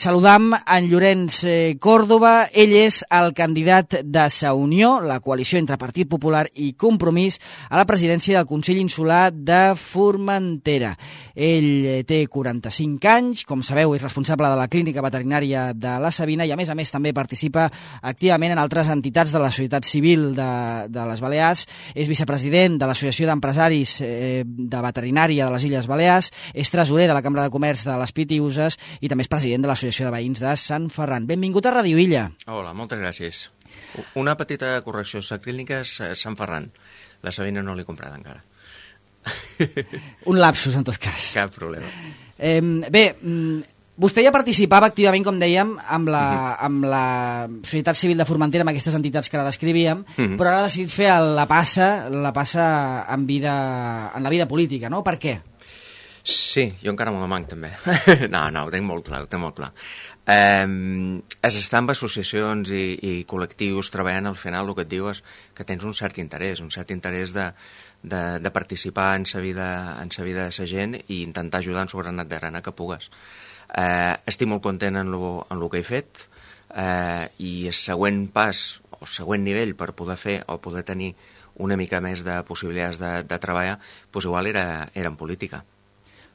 Saludam en Llorenç Còrdova. Ell és el candidat de Sa Unió, la coalició entre Partit Popular i Compromís, a la presidència del Consell Insular de Formentera. Ell té 45 anys, com sabeu és responsable de la Clínica Veterinària de la Sabina i a més també participa activament en altres entitats de la societat civil de les Balears. És vicepresident de l'Associació d'Empresaris de Veterinària de les Illes Balears, és tresorer de la Cambra de Comerç de les Pitiüses i també és president de l'Associació de Veïns de Sant Ferran. Benvingut a Ràdio Illa. Hola, moltes gràcies. Una petita correcció, la clínica és Sant Ferran. La Sabina no l'he comprada encara. Un lapsus, en tot cas. Cap problema. Vostè ja participava activament, com dèiem, amb la societat civil de Formentera, amb aquestes entitats que ara descrivíem, però ara ha decidit fer la passa en la vida política, no? Per què? Sí, jo encara m'ho demanc també. No, ho tenc molt clar, és estar amb associacions i col·lectius treballant, al final el que et diu és que tens un cert interès de participar en sa vida de sa gent i intentar ajudar en su granat de grana que pugues. Estic molt content en el que he fet i el següent pas o següent nivell per poder fer o poder tenir una mica més de possibilitats de treballar, doncs igual era en política.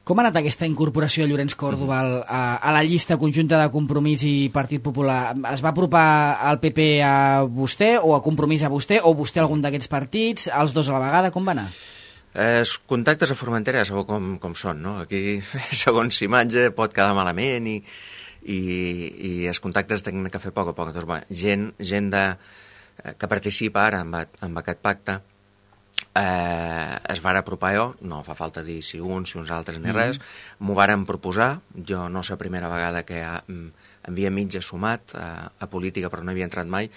Com ha anat aquesta incorporació de Llorenç Còrdova a la llista conjunta de Compromís i Partit Popular? Es va apropar al PP a vostè o a Compromís a vostè o vostè a algun d'aquests partits, els dos a la vegada? Com va anar? Els contactes a Formentera sabeu com són, no? Aquí, segons imatge, pot quedar malament i els contactes tenen que fer a poc. Doncs, gent que participa ara amb aquest pacte es van apropar jo, no fa falta dir si uns altres ni res, m'ho varen proposar, jo no és la primera vegada que havia mig assumat a política però no havia entrat mai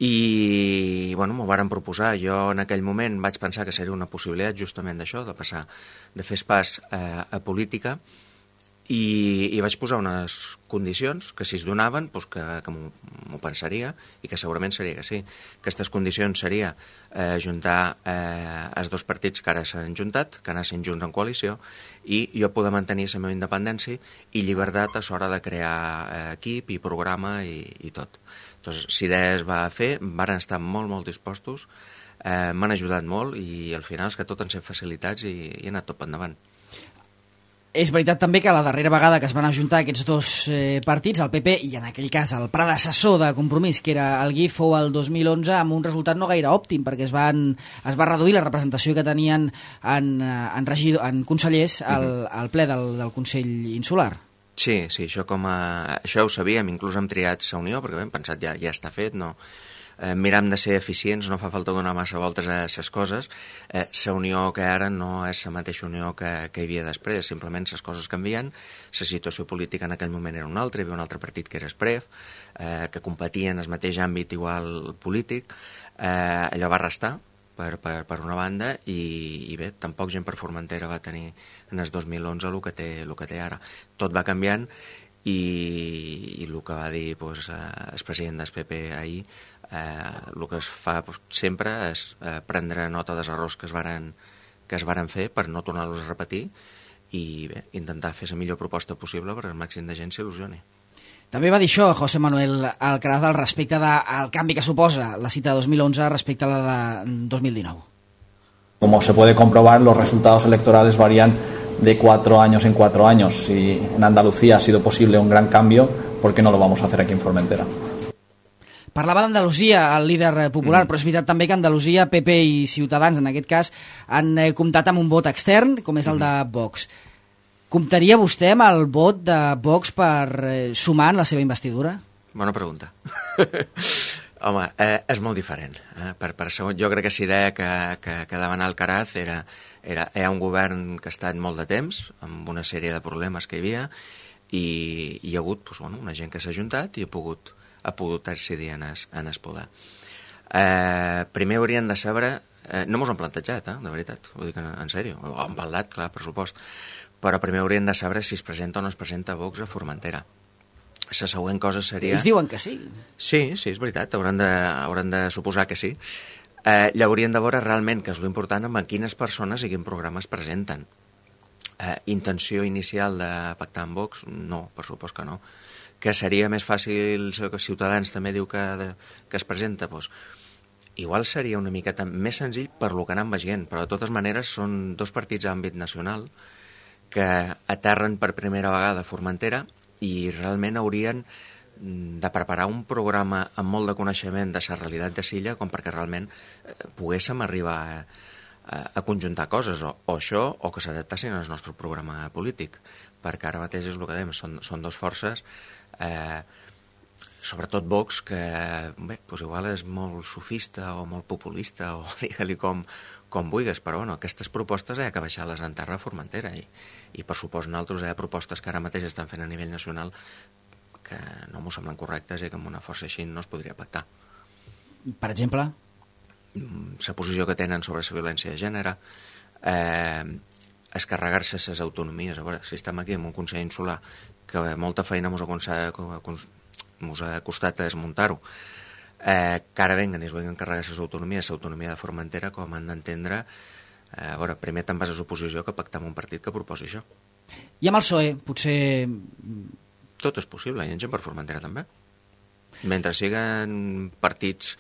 i m'ho varen proposar. Jo en aquell moment vaig pensar que seria una possibilitat justament d'això, de fer el pas a política i vaig posar unes condicions que si es donaven que m'ho pensaria i que segurament seria que sí. Aquestes condicions seria juntar els dos partits que ara s'han juntat, que anessin junts en coalició i jo poder mantenir la meva independència i llibertat a l'hora de crear equip i programa i tot. Doncs l'idea es va fer, van estar molt dispostos, m'han ajudat molt i al final és que tot han set facilitats i he anat tot endavant. És veritat també que la darrera vegada que es van ajuntar aquests dos partits, el PP i en aquell cas el predecessor de Compromís, que era el GIF, fou el 2011 amb un resultat no gaire òptim, perquè es va reduir la representació que tenien en consellers al ple del Consell Insular. Sí, això ho sabíem, inclús hem triat Sa Unió, perquè hem pensat ja està fet, no... Miram de ser eficients, no fa falta donar massa voltes a les coses. La unió que ara no és la mateixa unió que hi havia després, simplement les coses canvien, la situació política en aquell moment era una altra, hi havia un altre partit que era Espref, que competia en el mateix àmbit igual polític, allò va restar per una banda i bé, tampoc gent per Formentera va tenir en el 2011 el que té ara. Tot va canviant i el que va dir el president del PP ahir, el que es fa sempre és prendre nota dels errors que es varen fer per no tornar-los a repetir i bé, intentar fer la millor proposta possible perquè el màxim de gent s'il·lusioni. També va dir això José Manuel Alcaraz al respecte del canvi que suposa la cita de 2011 respecte a la de 2019. Como se puede comprobar, los resultados electorales varían de 4 años en 4 años. Si en Andalucía ha sido posible un gran cambio, ¿por qué no lo vamos a hacer aquí en Formentera? Parlava d'Andalusia, el líder popular, però és veritat també que Andalusia, PP i Ciutadans, en aquest cas, han comptat amb un vot extern, com és el de Vox. Comptaria vostè amb el vot de Vox per sumar en la seva investidura? Bona pregunta. Home, és molt diferent. Jo crec que la idea que davant Alcaraz era un govern que ha estat molt de temps, amb una sèrie de problemes que hi havia, i hi ha hagut una gent que s'ha juntat i ha pogut decidir en el poder. Primer haurien de saber... No mos han plantejat, de veritat, ho dic en sèrio. Ho han parlat, clar, per supost. Però primer haurien de saber si es presenta o no es presenta Vox a Formentera. La següent cosa seria... Ells diuen que sí. Sí, és veritat, hauran de suposar que sí. Llavors haurien de veure realment, que és l'important, amb quines persones i quin programa es presenten. Intenció inicial de pactar amb Vox? No, per supost que no. que seria més fàcil, que Ciutadans també diu que es presenta, doncs igual seria una miqueta més senzill per lo que anem veient, però de totes maneres són dos partits d'àmbit nacional que aterren per primera vegada a Formentera i realment haurien de preparar un programa amb molt de coneixement de la realitat de Silla com perquè realment poguéssim arribar a conjuntar coses, o això, o que s'adaptassin al nostre programa polític, perquè ara mateix és el que dèiem, són dues forces, sobretot Vox, que bé, doncs igual és molt sofista o molt populista, o digue-li com vulguis, però bueno, aquestes propostes hi ha que baixar-les en terra a Formentera, i per supost nosaltres hi ha propostes que ara mateix estan fent a nivell nacional que no m'ho semblen correctes i que amb una força així no es podria pactar. Per exemple? La posició que tenen sobre la violència de gènere, escarregar-se les autonomies. A veure, si estem aquí en un Consell Insular que molta feina mos ha costat a desmuntar-ho, que ara venguen i es venguen carregar les autonomies, l'autonomia de Formentera, com han d'entendre, a veure, primer te'n vas a l'oposició que pactar amb un partit que proposi això. I amb el PSOE, potser... Tot és possible, i en gent per Formentera també. Mentre siguen partits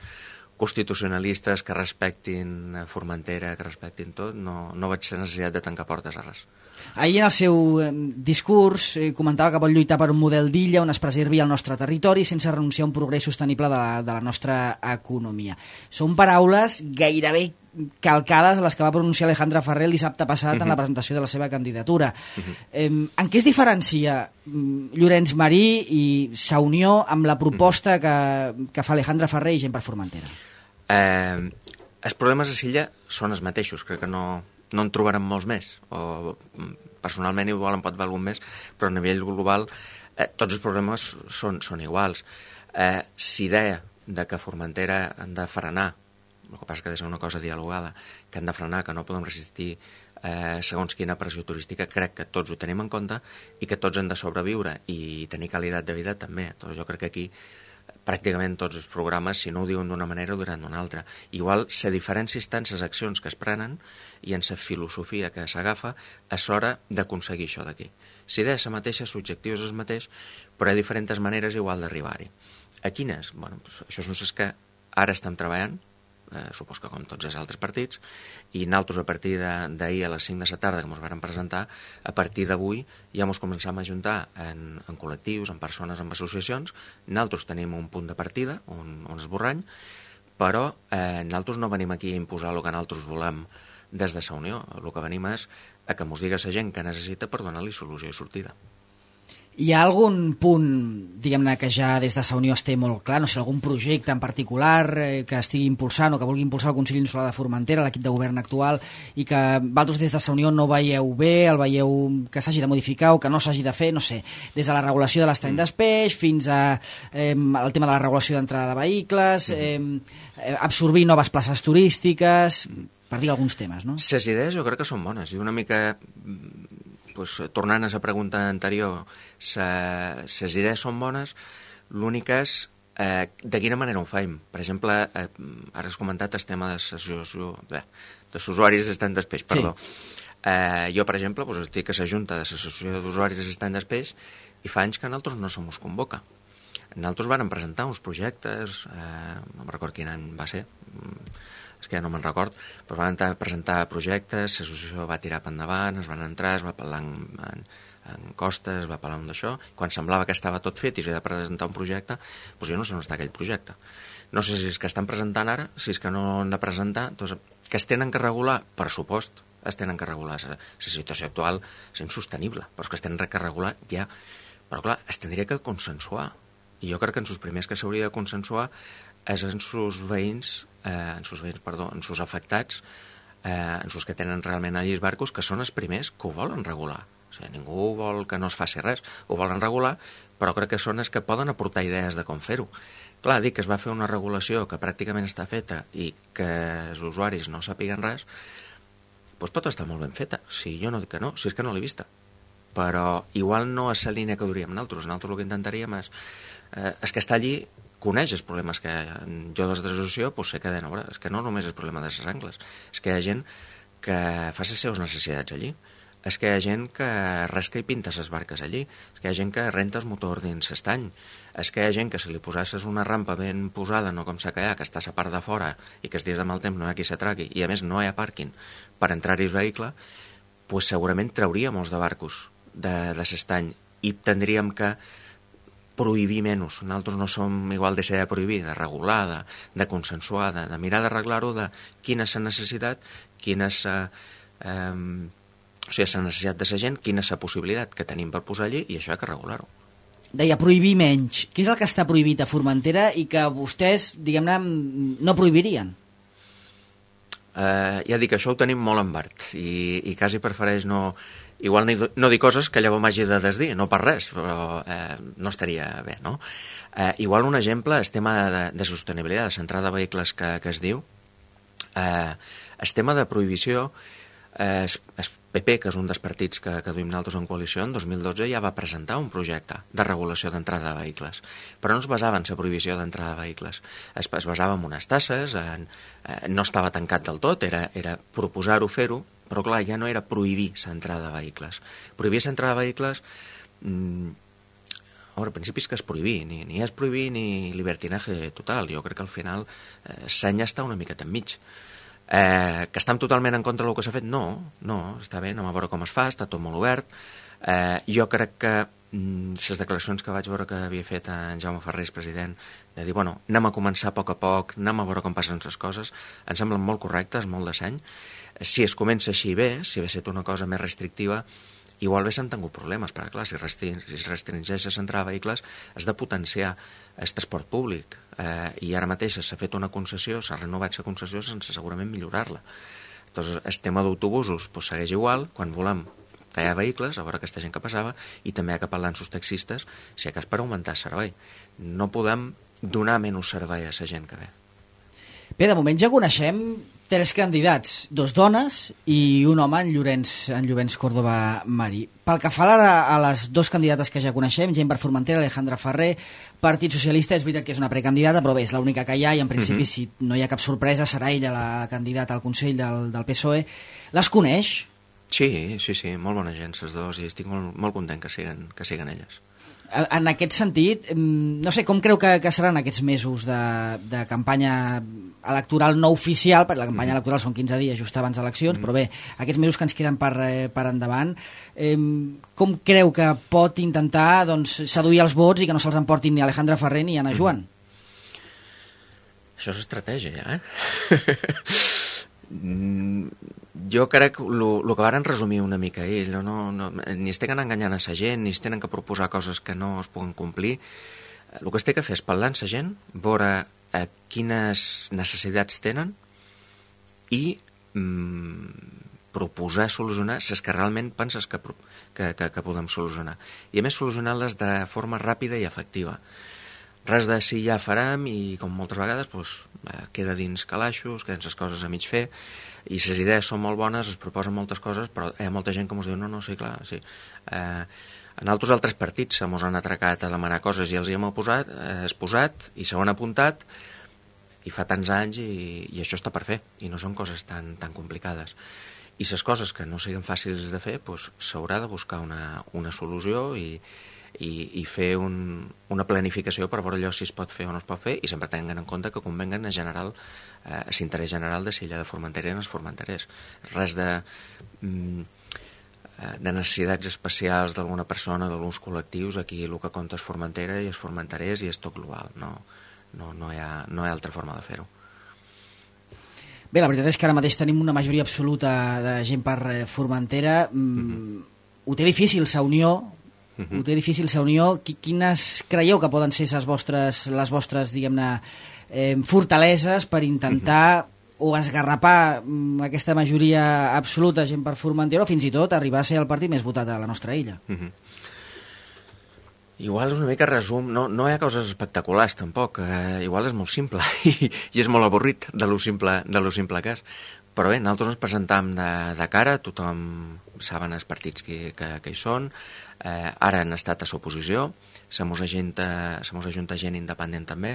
constitucionalistes que respectin Formentera, que respectin tot, no vaig ser necessitat de tancar portes a res. Ahir en el seu discurs comentava que vol lluitar per un model d'illa on es preservi el nostre territori sense renunciar a un progrés sostenible de la nostra economia. Són paraules gairebé calcades a les que va pronunciar Alejandra Ferrer el dissabte passat en la presentació de la seva candidatura. En què es diferencia Llorenç Marí i sa unió amb la proposta que fa Alejandra Ferrer i gent per Formentera? Els problemes de Silla són els mateixos, crec que no en trobarem molts més, o personalment igual en pot haver algun més, però a nivell global tots els problemes són iguals. S'idea de que Formentera han de frenar, el que passa que ha de ser una cosa dialogada, que han de frenar, que no podem resistir segons quina pressió turística, crec que tots ho tenim en compte i que tots han de sobreviure i tenir qualitat de vida també. Jo crec que aquí pràcticament tots els programes, si no ho diuen d'una manera, ho diran d'una altra. Igual se diferència tant les accions que es prenen i en la filosofia que s'agafa és hora d'aconseguir això d'aquí. Si idea és la mateixa, l'objectiu és el mateix, però hi ha diferents maneres igual d'arribar-hi. A quines? Bueno, això són les que ara estem treballant, supos que com tots els altres partits, i nosaltres a partir d'ahir a les 5 de la tarda que ens varen presentar, a partir d'avui ja ens començam a ajuntar en col·lectius, en persones, en associacions. Nosaltres tenim un punt de partida, un esborrany, però nosaltres no venim aquí a imposar el que nosaltres volem des de la Unió. El que venim és a que ens digui la gent que necessita per donar-li solució i sortida. Hi ha algun punt, diguem-ne, que ja des de la Unió es té molt clar, no sé, algun projecte en particular que estigui impulsant o que vulgui impulsar el Consell Insular de Formentera, l'equip de govern actual, i que vosaltres des de la Unió no veieu bé, el veieu que s'hagi de modificar o que no s'hagi de fer, no sé, des de la regulació de l'estany d'espeix fins al tema de la regulació d'entrada de vehicles, absorbir noves places turístiques, per dir alguns temes, no? Les idees jo crec que són bones, i una mica... tornant a la pregunta anterior, les idees són bones, l'únic és de quina manera ho fem. Per exemple, ara has comentat el tema de l'usuaris d'estany d'espeix, perdó. Jo, per exemple, estic a la Junta de l'Associació d'Usuaris d'estany d'espeix i fa anys que nosaltres no se mos convoca. Nosaltres vàrem presentar uns projectes, no me'n record quin any va ser, és que ja no me'n record, però van presentar projectes, l'associació va tirar per endavant, es van entrar, es va parlar en costes, es va parlar d'això, quan semblava que estava tot fet i s'havia de presentar un projecte, doncs jo no sé on està aquell projecte. No sé si és que estan presentant ara, si és que no han de presentar, doncs que es tenen que regular, per supost, es tenen que regular. La situació actual és insostenible, però és que es tenen que regular ja. Però clar, es tindria que consensuar. I jo crec que en els primers que s'hauria de consensuar és en sus veïns, en sus afectats, en sus que tenen realment allí els barcos, que són els primers que ho volen regular. O sigui, ningú vol que no es faci res, ho volen regular, però crec que són els que poden aportar idees de com fer-ho. Clar, dic que es va fer una regulació que pràcticament està feta i que els usuaris no sàpiguen res, doncs pot estar molt ben feta. Si jo no dic que no, si és que no l'he vista. Però igual no és la línia que duríem nosaltres. Nosaltres el que intentaríem és que està allí, coneix els problemes que jo des de l'associació sé que deien, és que no només és el problema de les angles, és que hi ha gent que fa les seves necessitats allí. és que hi ha gent que rasca i pinta les barques allí, és que hi ha gent que renta el motor dins l'estany, és que hi ha gent que si li posasses una rampa ben posada, no com s'ha callat, que està a la part de fora i que els dies de mal temps no hi ha qui s'atraqui i a més no hi ha pàrquing per entrar-hi el vehicle, pues segurament trauria molts de barcos de l'estany i tindríem que prohibir menys. Nosaltres no som igual de ser de prohibir, de regular, de consensuar, de mirar d'arreglar-ho, de quina és la necessitat, quina és la necessitat de la gent, quina és la possibilitat que tenim per posar allí i això hi ha que regular-ho. Deia prohibir menys. Què és el que està prohibit a Formentera i que vostès, diguem-ne, no prohibirien? Ja dic, això ho tenim molt en verd i quasi prefereix no dir coses que llavors m'hagi de desdir, no per res, però no estaria bé, no? Igual un exemple és tema de sostenibilitat, de centrada de vehicles que es diu. El tema de prohibició, el PP, que és un dels partits que duim nosaltres en coalició, en 2012 ja va presentar un projecte de regulació d'entrada de vehicles, però no es basava en la prohibició d'entrada de vehicles, es basava en unes tasses, no estava tancat del tot, era proposar-ho, fer-ho, però clar, ja no era prohibir l'entrada de vehicles. Prohibir l'entrada de vehicles, al principi és que és prohibir, ni és prohibir ni libertinaje total, jo crec que al final l'any està una miqueta enmig. Que estem totalment en contra del que s'ha fet? No, està bé, anem a veure com es fa, està tot molt obert. Jo crec que les declaracions que vaig veure que havia fet en Jaume Ferrer, president, de dir, bueno, anem a començar a poc, anem a veure com passen les coses, em semblen molt correctes, molt de seny. Si es comença així bé, si hagués estat una cosa més restrictiva, igual bé s'han tingut problemes, perquè clar, si es restringeix l'entrada de vehicles, has de potenciar el transport públic, i ara mateix s'ha fet una concessió, s'ha renovat la concessió sense segurament millorar-la. Doncs el tema d'autobusos segueix igual, quan volem que hi ha vehicles, a veure aquesta gent que passava, i també hi ha que parlar amb els taxistes, si hi ha cas per augmentar el servei. No podem donar menys servei a la gent que ve. Bé, de moment ja coneixem 3 candidats, 2 dones i un home, en Llorenç Córdoba Marí. Pel que fa a les 2 candidates que ja coneixem, gent per Formentera, Alejandra Ferrer, Partit Socialista, és veritat que és una precandidata, però bé, és l'única que hi ha i en principi si no hi ha cap sorpresa serà ella la candidata al Consell del PSOE. Les coneix? Sí, molt bona gent, les 2, i estic molt content que siguen elles. En aquest sentit, no sé, com creu que seran aquests mesos de campanya electoral no oficial, perquè la campanya electoral són 15 dies just abans d'eleccions, però bé, aquests mesos que ens queden per endavant, com creu que pot intentar seduir els vots i que no se'ls emportin ni Alejandra Ferrer ni Anna Joan? Això és estratègia, Jo crec que el que varen resumir una mica ells, ni es tenen enganyant a la gent, ni es tenen que proposar coses que no es puguen complir. El que es té que fer és parlar amb la gent, veure quines necessitats tenen i proposar solucionar les que realment penses que podem solucionar. I a més solucionar-les de forma ràpida i efectiva. Res de si ja farem i com moltes vegades queda dins calaixos, queden les coses a mig fer i les idees són molt bones, es proposen moltes coses, però hi ha molta gent que ens diu no, sí, clar, sí. En altres partits se mos han atracat a demanar coses i els hi hem posat i s'ho han apuntat i fa tants anys i això està per fer i no són coses tan complicades. I les coses que no siguin fàcils de fer s'haurà de buscar una solució i fer una planificació per veure allò si es pot fer o no es pot fer i sempre tenint en compte que convenguen a l'interès general de Silla de Formentera i els formenterers. Res de necessitats especials d'alguna persona, d'alguns col·lectius. Aquí el que compta és Formentera i és formenterers i és tot global. No hi ha altra forma de fer-ho. Bé, la veritat és que ara mateix tenim una majoria absoluta de gent per Formentera. Ho té difícil, la Unió. Ho té difícil, la Unió. Quines creieu que poden ser les vostres diguem-ne, fortaleses per intentar o esgarrapar aquesta majoria absoluta gent per Formentera o fins i tot arribar a ser el partit més votat a la nostra illa? Igual és una mica resum, no hi ha coses espectaculars tampoc, igual és molt simple i és molt avorrit de lo simple que és. Però bé, nosaltres ens presentam de cara, tothom saben els partits que hi són, ara han estat a l'oposició, se mos ajunta gent independent també.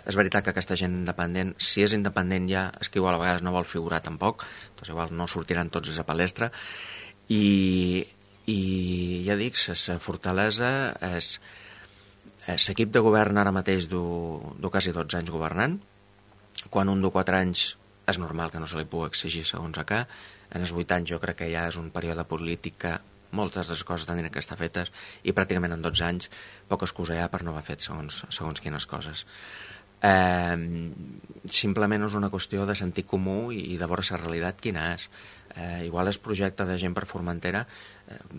És veritat que aquesta gent independent, si és independent ja, és que igual a vegades no vol figurar tampoc, doncs igual no sortiran tots a la palestra, I ja dic, la fortalesa és l'equip de govern ara mateix du quasi 12 anys governant. Quan un du 4 anys és normal que no se li pugui exigir segons acá. En els 8 anys jo crec que ja és un període polític que moltes de les coses tindran que estar fetes i pràcticament en 12 anys poca excusa hi ha per no haver fet segons quines coses. Simplement és una qüestió de sentit comú i de veure la realitat quina és. Igual el projecte de Gent per Formentera,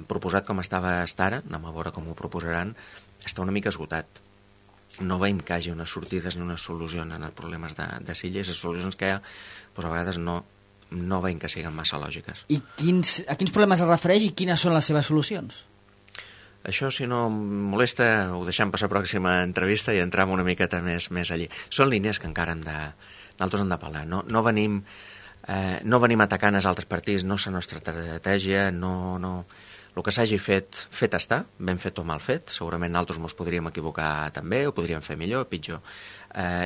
proposat com estava ara, anem a veure com ho proposaran, està una mica esgotat. No veiem que hi hagi unes sortides ni unes solucions en els problemes de Silla, i les solucions que hi ha, doncs a vegades no veiem que siguin massa lògiques. I a quins problemes es refereix i quines són les seves solucions? Això, si no em molesta, ho deixem per la pròxima entrevista i entram una miqueta més allí. Són línies que encara nosaltres hem de parlar. No venim atacant els altres partits, no és la nostra estratègia, el que s'hagi fet està, ben fet o mal fet. Segurament nosaltres ens podríem equivocar també, ho podríem fer millor, pitjor.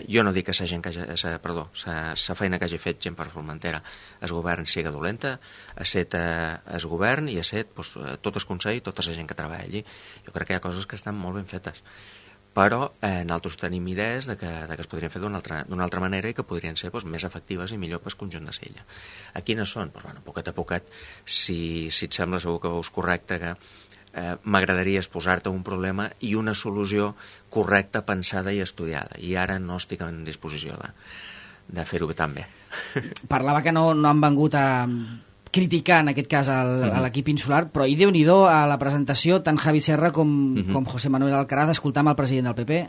Jo no dic que la feina que hagi fet Gent per Formentera el govern siga dolenta, ha set el govern i ha set tot el Consell i tota la gent que treballa allí. Jo crec que hi ha coses que estan molt ben fetes, però nosaltres tenim idees de que es podrien fer d'una altra manera i que podrien ser més efectives i millor pel conjunt de Sella. A quines són? Poquet a poquet, si et sembla segur que veus correcte, que m'agradaria exposar-te un problema i una solució correcta, pensada i estudiada, i ara no estic en disposició de fer-ho tan bé. Parlava que no han vengut a criticar en aquest cas a l'equip insular, però i Déu-n'hi-do a la presentació, tant Javi Serra com José Manuel Alcaraz, escoltam el president del PP.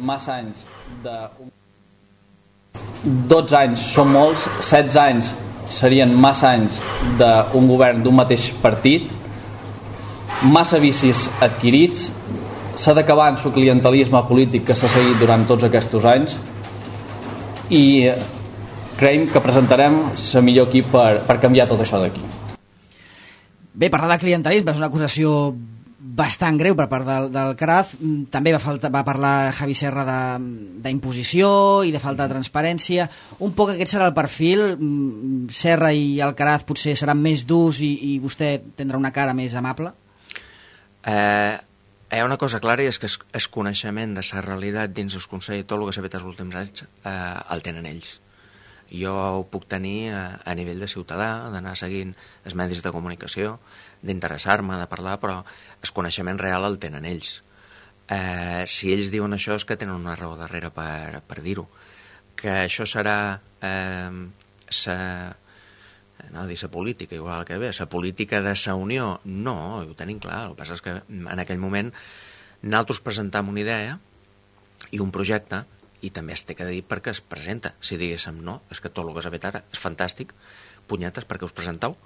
Massa anys 12 anys són molts, 16 anys serien massa anys d'un govern d'un mateix partit, massa vicis adquirits, s'ha d'acabar amb el clientelisme polític que s'ha seguit durant tots aquests anys, i creiem que presentarem el millor equip per canviar tot això d'aquí. Bé, parlar de clientelisme és una acusació bastant greu per part del Alcaraz. També va parlar Javi Serra d'imposició i de falta de transparència. Un poc aquest serà el perfil. Serra i Alcaraz potser seran més durs i vostè tindrà una cara més amable? Hi ha una cosa clara, i és que el coneixement de la realitat dins el Consell i tot el que s'ha fet els últims anys el tenen ells. Jo ho puc tenir a nivell de ciutadà, d'anar seguint els medis de comunicació, d'interessar-me, de parlar, però el coneixement real el tenen ells. Si ells diuen això és que tenen una raó darrere per dir-ho. Que això serà la política, igual que bé, la política de la Unió, no, ho tenim clar. El que passa és que en aquell moment nosaltres presentam una idea i un projecte, i també es té que dir perquè es presenta. Si diguéssim no, és que tot el que s'ha fet ara és fantàstic, punyetes, perquè us presenteu?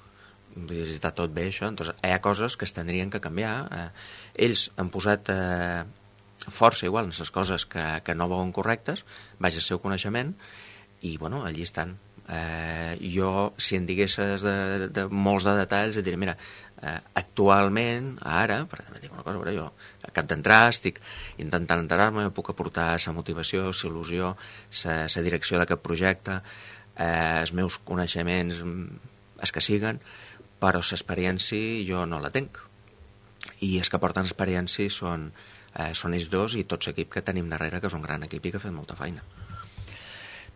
Està tot bé això, doncs hi ha coses que es tindrien que canviar. Ells han posat força igual en les coses que no veuen correctes, vaja el seu coneixement, i bueno, allí estan. Jo, si em diguessis de molts de detalls, et diré, mira, actualment, ara, per també dic una cosa, però jo acabo d'entrar, estic intentant enterar-me, puc aportar la motivació, la il·lusió, la direcció d'aquest projecte, els meus coneixements, els que siguen, però l'experiència jo no la tenc. I els que porten experiència són ells dos i tot l'equip que tenim darrere, que és un gran equip i que ha fet molta feina.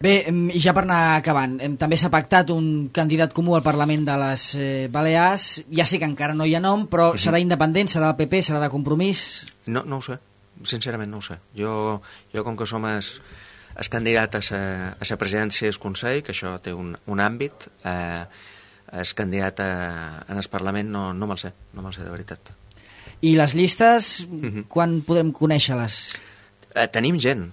Bé, i ja per anar acabant, també s'ha pactat un candidat comú al Parlament de les Balears. Ja sé que encara no hi ha nom, però serà independent, serà del PP, serà de Compromís? No ho sé, sincerament no ho sé. Jo com que som el candidat a la presidència del Consell, que això té un àmbit, el candidat en el Parlament no me'l sé, de veritat. I les llistes, quan podrem conèixer-les? Tenim gent,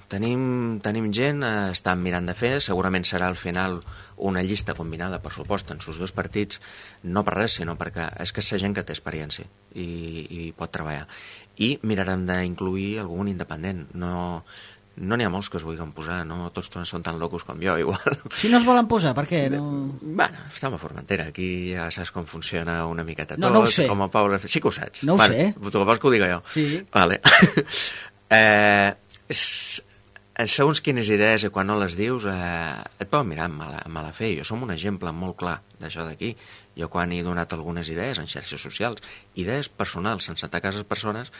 estan mirant de fer, segurament serà al final una llista combinada, per supost, en els dos partits, no per res, sinó perquè és que és la gent que té experiència i pot treballar. I mirarem d'incluir algun independent. No n'hi ha molts que es vulguin posar, no tots són tan locos com jo, igual. Si no es volen posar, per què? Bueno, estem a Formentera, aquí ja saps com funciona una miqueta tot. No ho sé. Com a Pau... Sí que ho saps. No ho sé. Tu vols que ho diga jo? Sí. Vale. segons quines idees i quan no les dius et poden mirar amb mala fe. Jo som un exemple molt clar d'això d'aquí. Jo quan he donat algunes idees en xarxes socials, idees personals sense atacar les persones,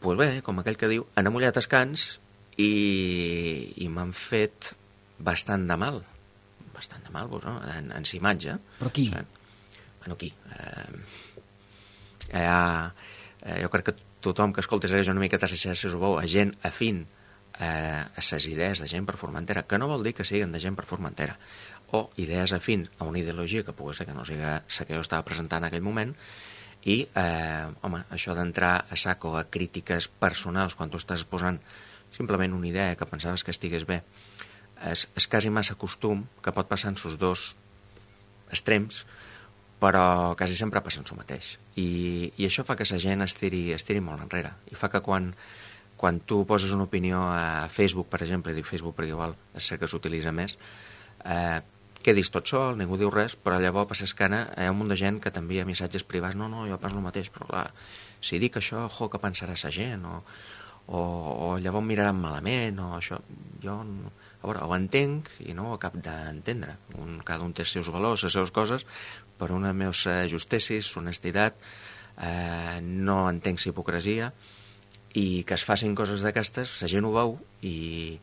doncs bé, com aquell que diu, han amollat els cans i m'han fet bastant de mal, no? En sa imatge. Però qui? Bueno, qui? Jo crec que tothom que escolta una miqueta a les xarxes ho veu, a gent afín a les idees de gent per Formentera, que no vol dir que siguin de gent per Formentera, o idees afins a una ideologia que pugui ser que no sigui la que jo estava presentant en aquell moment, i, home, això d'entrar a saco a crítiques personals quan tu estàs posant simplement una idea que pensaves que estigués bé, és quasi massa costum que pot passar en sos dos extrems, però quasi sempre passa en el mateix. I això fa que la gent estiri molt enrere. I fa que quan tu poses una opinió a Facebook, per exemple, dic Facebook perquè igual és cert que s'utilitza més, quedis tot sol, ningú diu res, però llavors per l'escana hi ha un munt de gent que t'envia missatges privats, no, jo penso el mateix, però clar, si dic això, què pensarà la gent, o llavors miraran malament, o això, jo, a veure, ho entenc i no ho acab d'entendre. Cada un té els seus valors, les seves coses, per una meus justicis, honestitat, no entenc la hipocresia, i que es facin coses d'aquestes, la gent ho veu i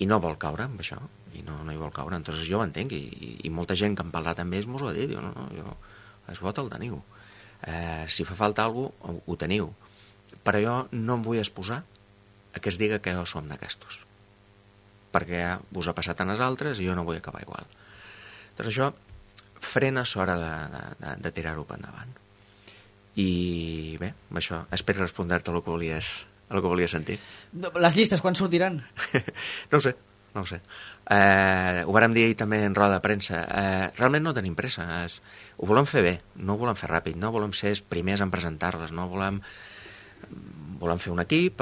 no vol caure amb això, i no hi vol caure. Entonces jo ho entenc, i molta gent que em parlat amb ells m'ho ha dit, diu, no, el vot el teniu. Si fa falta alguna cosa, ho teniu. Però jo no em vull exposar a que es diga que jo som d'aquestos, perquè vos ha passat a les altres i jo no vull acabar igual. Doncs això frena l'hora de tirar-ho per endavant. I bé, amb això espero respondre-te a el que volies sentir. Les llistes, quan sortiran? No ho sé. Ho vàrem dir ahir també en roda de premsa. Realment no tenim pressa. Ho volem fer bé, no ho volem fer ràpid, no volem ser els primers en presentar-les, no volem fer un equip,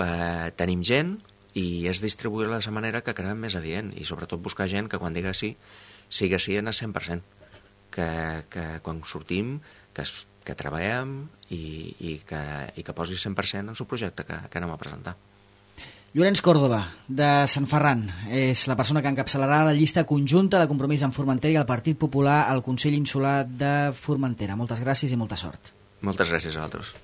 tenim gent i és distribuir-la de la manera que creiem més adient, i sobretot buscar gent que quan diga sí, sigui sí en el 100%, que quan sortim que treballem i que posi 100% en el projecte que anem a presentar. Llorenç Córdoba, de Sant Ferran, és la persona que encapçalarà la llista conjunta de Compromís amb Formentera i el Partit Popular al Consell Insular de Formentera. Moltes gràcies i molta sort. Moltes gràcies a vosaltres.